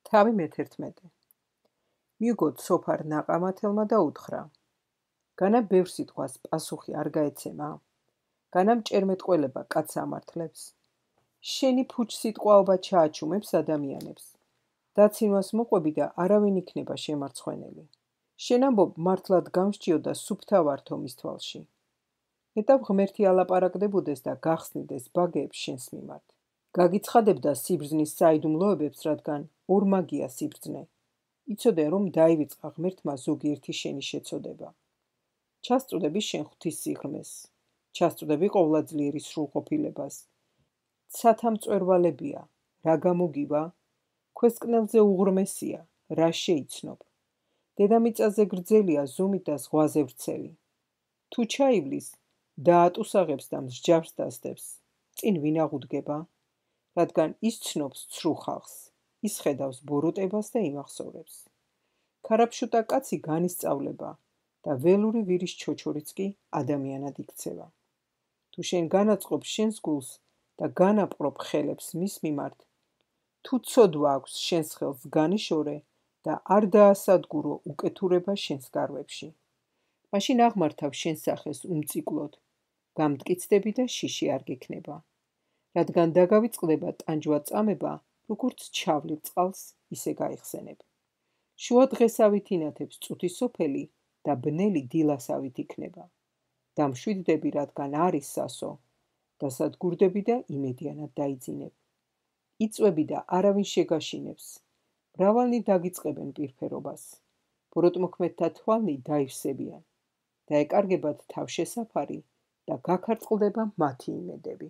თავი მე-11. მიუგოთ სოფარ ნაყამათელმა და უთხრა: განა ბევრ სიტყვას პასუხი არ გაეცემა? განა მჭერმეტყველება კაცს ამართლებს? შენი ფუჩ სიტყვაობა ჩააჩუმებს ადამიანებს. დაცინვას მოყვები და არავინ იქნება შემარცხვენელი. შენ ამბობ მართლად გამსჭიოდა სუფთა ვართო მის თვალში. მეტად ღმერთი ალაპარაკდებოდეს და გახსნიდეს ბაგეებს შენს მიმართ. გაგიცხადებდა სიბრძნის საიდუმლოებებს, რადგან ორმაგია სიბრძნე. იცოდე, რომ დაივიწყა ღმერთმა ზოგიერთი შენი შეცოდება. ჩასწუდები შენ ღვთის სიღრმეს, ჩასწუდები ყოვლადწლიერი სრულყოფილებას. ცათა მწვერვალებია, რა გამოგივა? ქვესკნელზე უღრმესია, რა შეიცნობ? დედამიწაზე გრძელია ზომით და ზღვაზე ვრცელი. თუ ჩაივლის, დაატუსაღებს და მსჯავრს დასდებს. წინ ვინ აღუდგება? რადგან ის ცნობს ცრუ ხალხს, ის ხედავს ბოროტებას და იმახსოვრებს. ქარაფშუტა კაცი განისწავლება და ველური ვირის ჩოჩორიც კი ადამიანად იქცევა. თუ შენ განაწყობ შენს გულს და განაპყრობ ხელებს მის მიმართ, თუ ცოდვა აქვს შენს ხელს განიშორე და არ დაასადგურო უკეთურება შენს გარვებში. მაშინ აღმართავ შენ სახეს უმწიკლოდ, გამტკიცდები და შიში არ გექნება. რადგან დაგავიწყდება ტანჯვა წამება, როგორც ჩავლილ წყალს ისე გაიხსენებ. შუა დღესავით ინათებს წუთი სოფელი და ბნელი დილასავით იქნება. დამშვიდდები, რადგან არის სასო, დასადგურდები და იმედიანად დაიძინებ. იწვევი და არავინ შეგაშინებს. მრავალნი დაგიწყებენ პირფერობას. ბოროტმოქმედთა თვალნი დაივსებიან. დაეკარგებათ თავშესაფარი და გაქარწყლდება მათი იმედები.